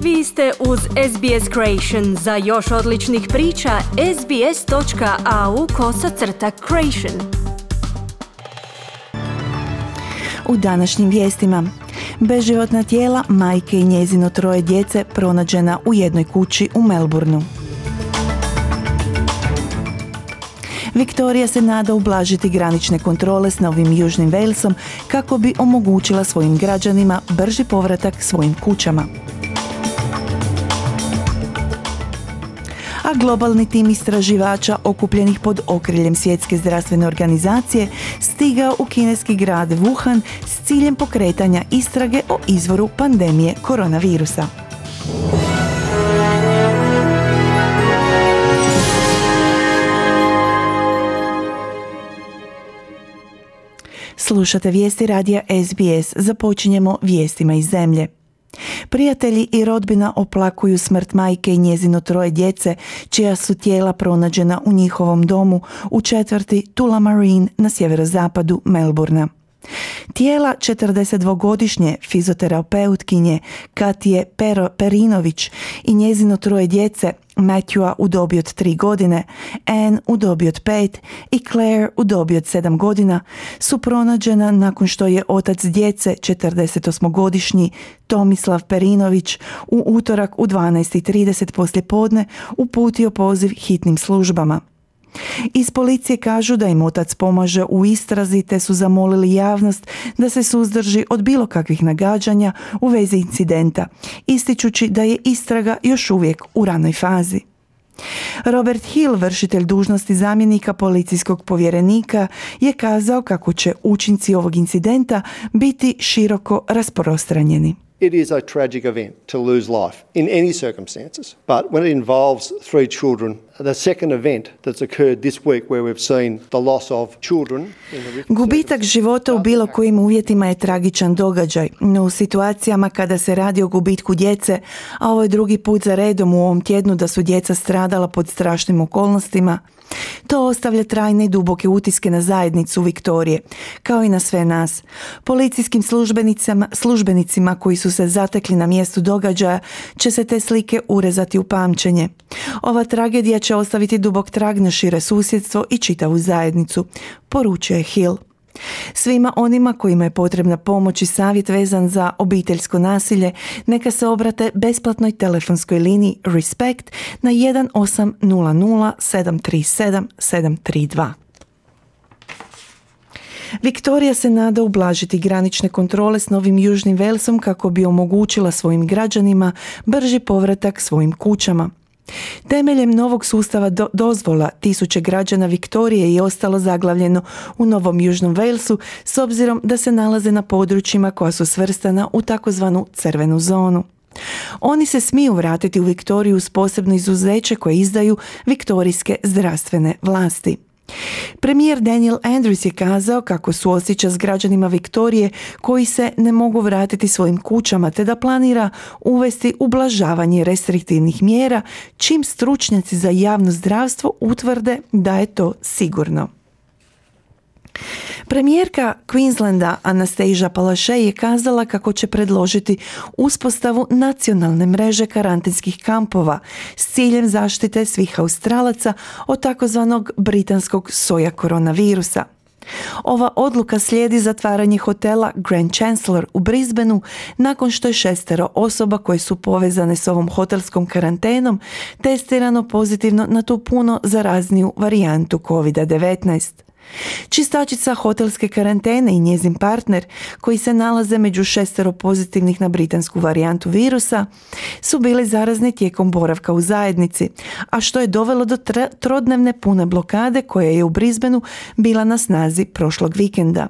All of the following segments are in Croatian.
Vi ste uz SBS Creation. Za još odličnih priča, sbs.au/creation. U današnjim vijestima. Beživotna tijela majke i njezino 3 djece pronađena u jednoj kući u Melbourneu. Viktorija se nada ublažiti granične kontrole s Novim Južnim Walesom kako bi omogućila svojim građanima brži povratak svojim kućama. A globalni tim istraživača okupljenih pod okriljem Svjetske zdravstvene organizacije stigao u kineski grad Wuhan s ciljem pokretanja istrage o izvoru pandemije koronavirusa. Slušate vijesti radija SBS. Započinjemo vijestima iz zemlje. Prijatelji i rodbina oplakuju smrt majke i njezino 3 djece, čija su tijela pronađena u njihovom domu u četvrti Tullamarine na sjeverozapadu Melbournea. Tijela 42-godišnje fizioterapeutkinje Katije Perinović i njezino 3 djece, Matthewa u dobi od 3 godine, Anne u dobi od 5 i Claire u dobi od 7 godina, su pronađena nakon što je otac djece, 48-godišnji Tomislav Perinović, u utorak u 12:30 poslijepodne uputio poziv hitnim službama. Iz policije kažu da im otac pomaže u istrazi te su zamolili javnost da se suzdrži od bilo kakvih nagađanja u vezi incidenta, ističući da je istraga još uvijek u ranoj fazi. Robert Hill, vršitelj dužnosti zamjenika policijskog povjerenika, je kazao kako će učinci ovog incidenta biti široko rasprostranjeni. It is a tragic event to lose life in any circumstances, but when it involves 3 children, the second event that's occurred this week where we've seen the loss of children. Gubitak života u bilo kojim uvjetima je tragičan događaj, no u situacijama kada se radi o gubitku djece, a ovo je drugi put za redom u ovom tjednu da su djeca stradala pod strašnim okolnostima, to ostavlja trajne i duboke utiske na zajednicu Viktorije, kao i na sve nas. Policijskim službenicima koji su se zatekli na mjestu događaja će se te slike urezati u pamćenje. Ova tragedija će ostaviti dubok trag na šire susjedstvo i čitavu zajednicu, poručuje Hill. Svima onima kojima je potrebna pomoć i savjet vezan za obiteljsko nasilje, neka se obrate besplatnoj telefonskoj liniji Respect na 1800 737 732. Viktorija se nada ublažiti granične kontrole s Novim Južnim Walesom kako bi omogućila svojim građanima brži povratak svojim kućama. Temeljem novog sustava dozvola, tisuće građana Viktorije je ostalo zaglavljeno u Novom Južnom Walesu s obzirom da se nalaze na područjima koja su svrstana u takozvanu crvenu zonu. Oni se smiju vratiti u Viktoriju uz posebno izuzeće koje izdaju viktorijske zdravstvene vlasti. Premijer Daniel Andrews je kazao kako suosjeća s građanima Viktorije koji se ne mogu vratiti svojim kućama te da planira uvesti ublažavanje restriktivnih mjera čim stručnjaci za javno zdravstvo utvrde da je to sigurno. Premijerka Queenslanda Anastasia Palaszczuk je kazala kako će predložiti uspostavu nacionalne mreže karantenskih kampova s ciljem zaštite svih Australaca od takozvanog britanskog soja koronavirusa. Ova odluka slijedi zatvaranje hotela Grand Chancellor u Brisbaneu nakon što je 6 osoba koje su povezane s ovom hotelskom karantenom testirano pozitivno na tu puno zarazniju varijantu COVID-19. Čistačica hotelske karantene i njezin partner, koji se nalaze među 6 pozitivnih na britansku varijantu virusa, su bili zarazni tijekom boravka u zajednici, a što je dovelo do trodnevne pune blokade koja je u Brisbaneu bila na snazi prošlog vikenda.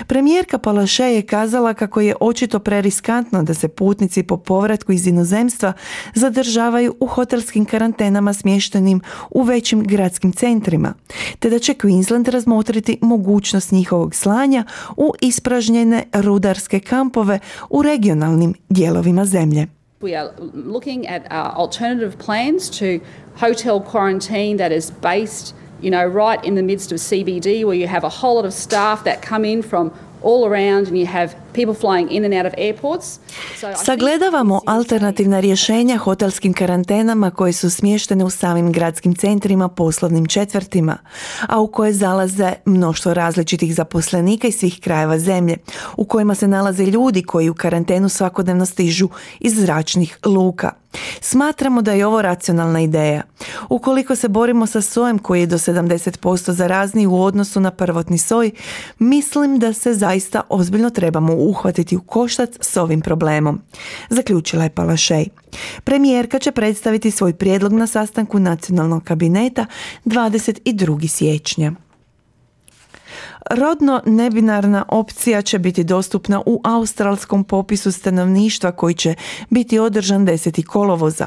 Premijerka Palaszczuk je kazala kako je očito preriskantno da se putnici po povratku iz inozemstva zadržavaju u hotelskim karantenama smještenim u većim gradskim centrima, te da će Queensland razmotriti mogućnost njihovog slanja u ispražnjene rudarske kampove u regionalnim dijelovima zemlje. We are looking at alternative plans to hotel quarantine that is based right in the midst of CBD, where you have a whole lot of staff that come in from all around and you have people flying in and out of airports. Sagledavamo alternativna rješenja hotelskim karantenama koje su smještene u samim gradskim centrima, poslovnim četvrtima, a u koje zalaze mnoštvo različitih zaposlenika iz svih krajeva zemlje, u kojima se nalaze ljudi koji u karantenu svakodnevno stižu iz zračnih luka. Smatramo da je ovo racionalna ideja. Ukoliko se borimo sa sojem koji je do 70% zarazniji u odnosu na prvotni soj, mislim da se zaista ozbiljno trebamo uhvatiti u koštac s ovim problemom, zaključila je Palaszczuk. Premijerka će predstaviti svoj prijedlog na sastanku nacionalnog kabineta 22. siječnja. Rodno nebinarna opcija će biti dostupna u australskom popisu stanovništva koji će biti održan 10. kolovoza.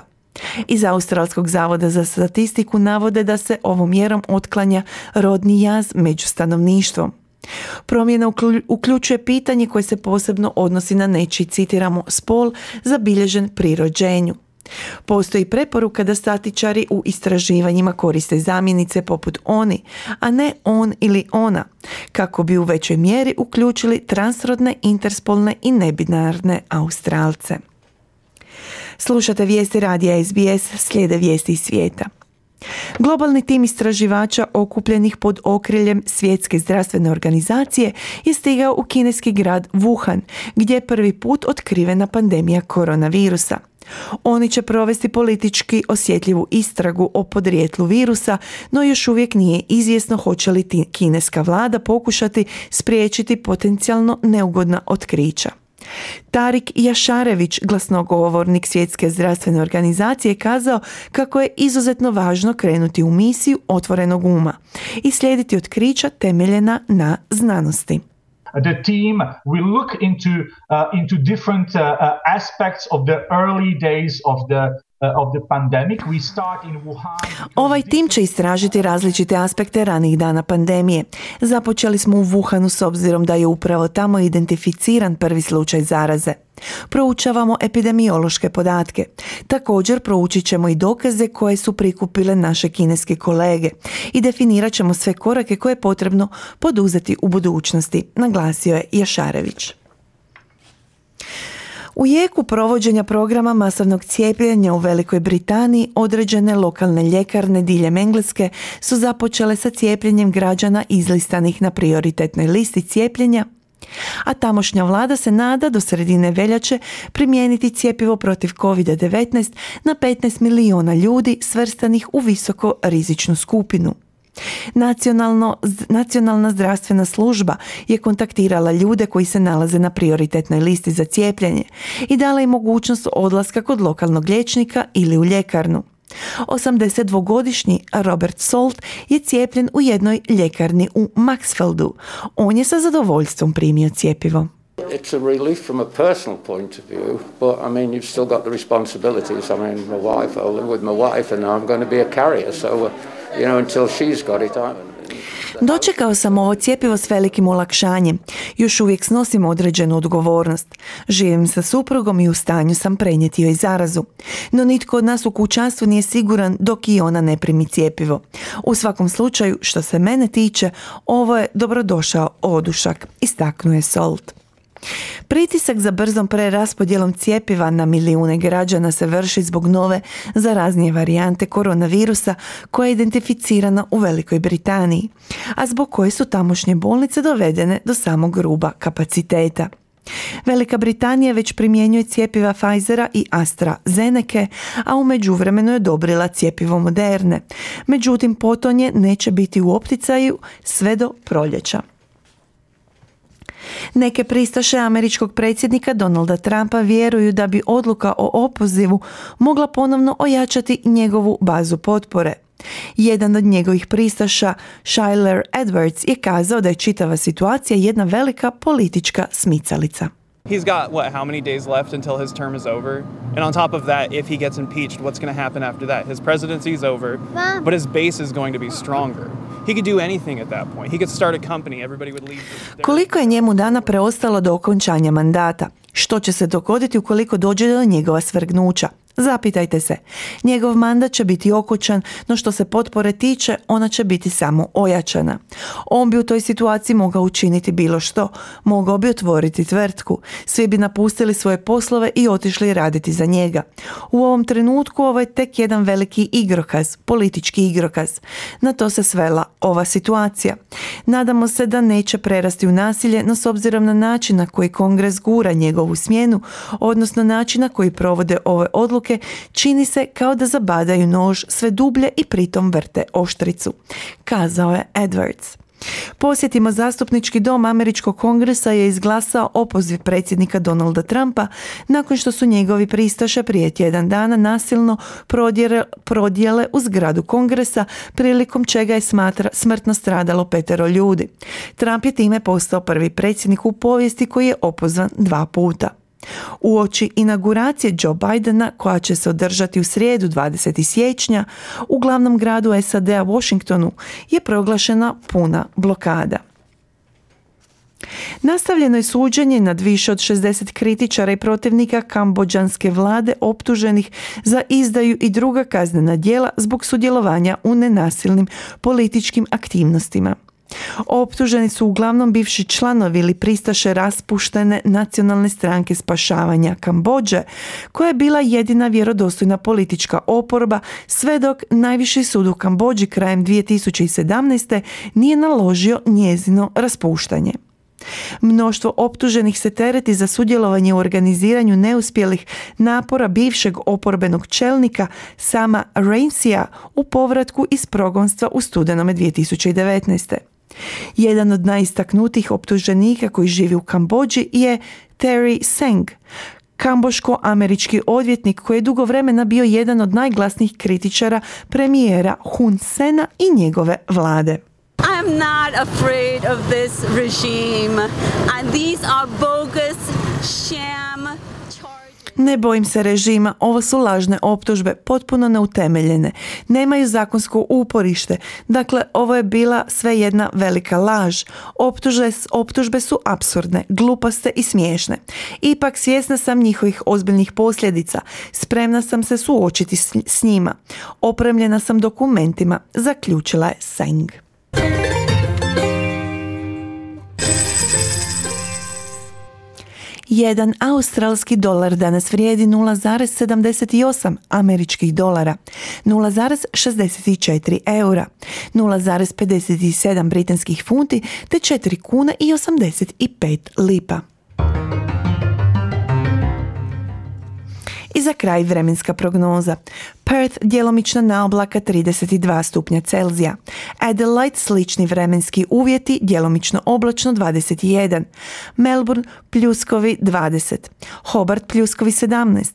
Iz Australskog zavoda za statistiku navode da se ovom mjerom otklanja rodni jaz među stanovništvom. Promjena uključuje pitanje koje se posebno odnosi na nečiji, citiramo, spol zabilježen pri rođenju. Postoji preporuka da statičari u istraživanjima koriste zamjenice poput oni, a ne on ili ona, kako bi u većoj mjeri uključili transrodne, interspolne i nebinarne Australce. Slušate vijesti radija SBS, slijede vijesti iz svijeta. Globalni tim istraživača okupljenih pod okriljem Svjetske zdravstvene organizacije je stigao u kineski grad Wuhan, gdje je prvi put otkrivena pandemija koronavirusa. Oni će provesti politički osjetljivu istragu o podrijetlu virusa, no još uvijek nije izvjesno hoće li kineska vlada pokušati spriječiti potencijalno neugodna otkrića. Tarik Jašarević, glasnogovornik Svjetske zdravstvene organizacije, kazao kako je izuzetno važno krenuti u misiju otvorenog uma i slijediti otkrića temeljena na znanosti. The team will look into different aspects of the early days of the pandemic. We start in Wuhan. Ovaj tim će istražiti različite aspekte ranih dana pandemije. Započeli smo u Wuhanu s obzirom da je upravo tamo identificiran prvi slučaj zaraze. Proučavamo epidemiološke podatke. Također proučit ćemo i dokaze koje su prikupile naše kineske kolege i definirat ćemo sve korake koje je potrebno poduzeti u budućnosti, naglasio je Jašarević. U jeku provođenja programa masovnog cijepljenja u Velikoj Britaniji određene lokalne ljekarne diljem Engleske su započele sa cijepljenjem građana izlistanih na prioritetnoj listi cijepljenja, a tamošnja vlada se nada do sredine veljače primijeniti cjepivo protiv COVID-19 na 15 milijuna ljudi svrstanih u visoko rizičnu skupinu. Nacionalna zdravstvena služba je kontaktirala ljude koji se nalaze na prioritetnoj listi za cijepljenje i dala im mogućnost odlaska kod lokalnog liječnika ili u ljekarnu. 82-godišnji Robert Salt je cijepljen u jednoj ljekarni u Maxfieldu. On je sa zadovoljstvom primio cjepivo. It's a relief from a personal point of view, but I mean you've still got the responsibilities. I mean my wife, I live with my wife and I'm going to be a carrier, so you know until she's got it Dočekao sam ovo cjepivo s velikim olakšanjem. Još uvijek snosim određenu odgovornost. Živim sa suprugom i u stanju sam prenijeti joj zarazu. No nitko od nas u kućanstvu nije siguran dok i ona ne primi cjepivo. U svakom slučaju, što se mene tiče, ovo je dobrodošao odušak, istaknuo je Salt. Pritisak za brzom preraspodjelom cjepiva na milijune građana se vrši zbog nove zaraznije varijante koronavirusa koja je identificirana u Velikoj Britaniji, a zbog koje su tamošnje bolnice dovedene do samog ruba kapaciteta. Velika Britanija već primjenjuje cjepiva Pfizera i AstraZeneca, a u međuvremenu je odobrila cjepivo Moderne. Međutim, potonje neće biti u opticaju sve do proljeća. Neke pristaše američkog predsjednika Donalda Trumpa vjeruju da bi odluka o opozivu mogla ponovno ojačati njegovu bazu potpore. Jedan od njegovih pristaša, Shyler Edwards, je kazao da je čitava situacija jedna velika politička smicalica. He's got, how many days left until his term is over? And on top of that, if he gets impeached, what's going to happen after that? His presidency is over, but his base is going to be stronger. He could do anything at that point. He could start a company, everybody would leave. Koliko je njemu dana preostalo do okončanja mandata? Što će se dogoditi ukoliko dođe do njegova svrgnuća? Zapitajte se, njegov mandat će biti okončan, no što se potpore tiče, ona će biti samo ojačana. On bi u toj situaciji mogao učiniti bilo što, mogao bi otvoriti tvrtku, svi bi napustili svoje poslove i otišli raditi za njega. U ovom trenutku ovo je tek jedan veliki igrokaz, politički igrokaz. Na to se svela ova situacija. Nadamo se da neće prerasti u nasilje, no s obzirom na način na koji Kongres gura njegovu smjenu, odnosno način na koji provode ove odluke, čini se kao da zabadaju nož sve dublje i pritom vrte oštricu, kazao je Edwards. Posjetimo, zastupnički dom Američkog kongresa je izglasao opoziv predsjednika Donalda Trumpa nakon što su njegovi pristaše prije tjedan dana nasilno prodijele u zgradu kongresa, prilikom čega je smrtno stradalo 5 ljudi. Trump je time postao prvi predsjednik u povijesti koji je opozvan 2 puta. Uoči inauguracije Joe Bidena, koja će se održati u srijedu 20. siječnja, u glavnom gradu SAD-a Washingtonu je proglašena puna blokada. Nastavljeno je suđenje nad više od 60 kritičara i protivnika kambodžanske vlade optuženih za izdaju i druga kaznena djela zbog sudjelovanja u nenasilnim političkim aktivnostima. Optuženi su uglavnom bivši članovi ili pristaše raspuštene Nacionalne stranke spašavanja Kambodže, koja je bila jedina vjerodostojna politička oporba sve dok najviši sud u Kambodži krajem 2017. nije naložio njezino raspuštanje. Mnoštvo optuženih se tereti za sudjelovanje u organiziranju neuspjelih napora bivšeg oporbenog čelnika Sama Rainsya u povratku iz progonstva u studenome 2019. Jedan od najistaknutijih optuženika koji živi u Kambodži je Terry Seng, kamboško-američki odvjetnik koji je dugo vremena bio jedan od najglasnijih kritičara premijera Hun Sena i njegove vlade. I am not afraid of this regime, and these are bogus sham charges. Ne bojim se režima, ovo su lažne optužbe, potpuno neutemeljene. Nemaju zakonsko uporište. Dakle, ovo je bila sve jedna velika laž. Optužbe su apsurdne, glupaste i smiješne. Ipak svjesna sam njihovih ozbiljnih posljedica. Spremna sam se suočiti s njima. Opremljena sam dokumentima, zaključila je Seng. Jedan australski dolar danas vrijedi 0,78 američkih dolara, 0,64 eura, 0,57 britanskih funti te 4 kuna i 85 lipa. I za kraj vremenska prognoza. Perth djelomično naoblaka 32 stupnja Celzija. Adelaide slični vremenski uvjeti, djelomično oblačno 21. Melbourne pljuskovi 20. Hobart pljuskovi 17.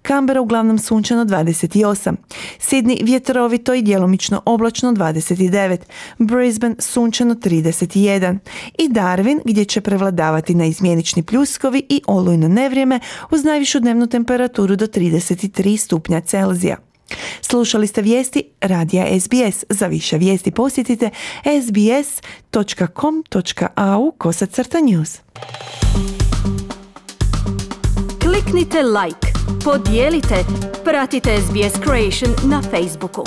Canberra uglavnom sunčano 28. Sydney vjetrovito i djelomično oblačno 29. Brisbane sunčano 31. I Darwin gdje će prevladavati neizmjenični pljuskovi i olujno nevrijeme uz najvišu dnevnu temperaturu do 33 stupnja Celzija. Slušali ste vijesti radija SBS. Za više vijesti posjetite sbs.com.au/news. Kliknite like, podijelite, pratite SBS Creation na Facebooku.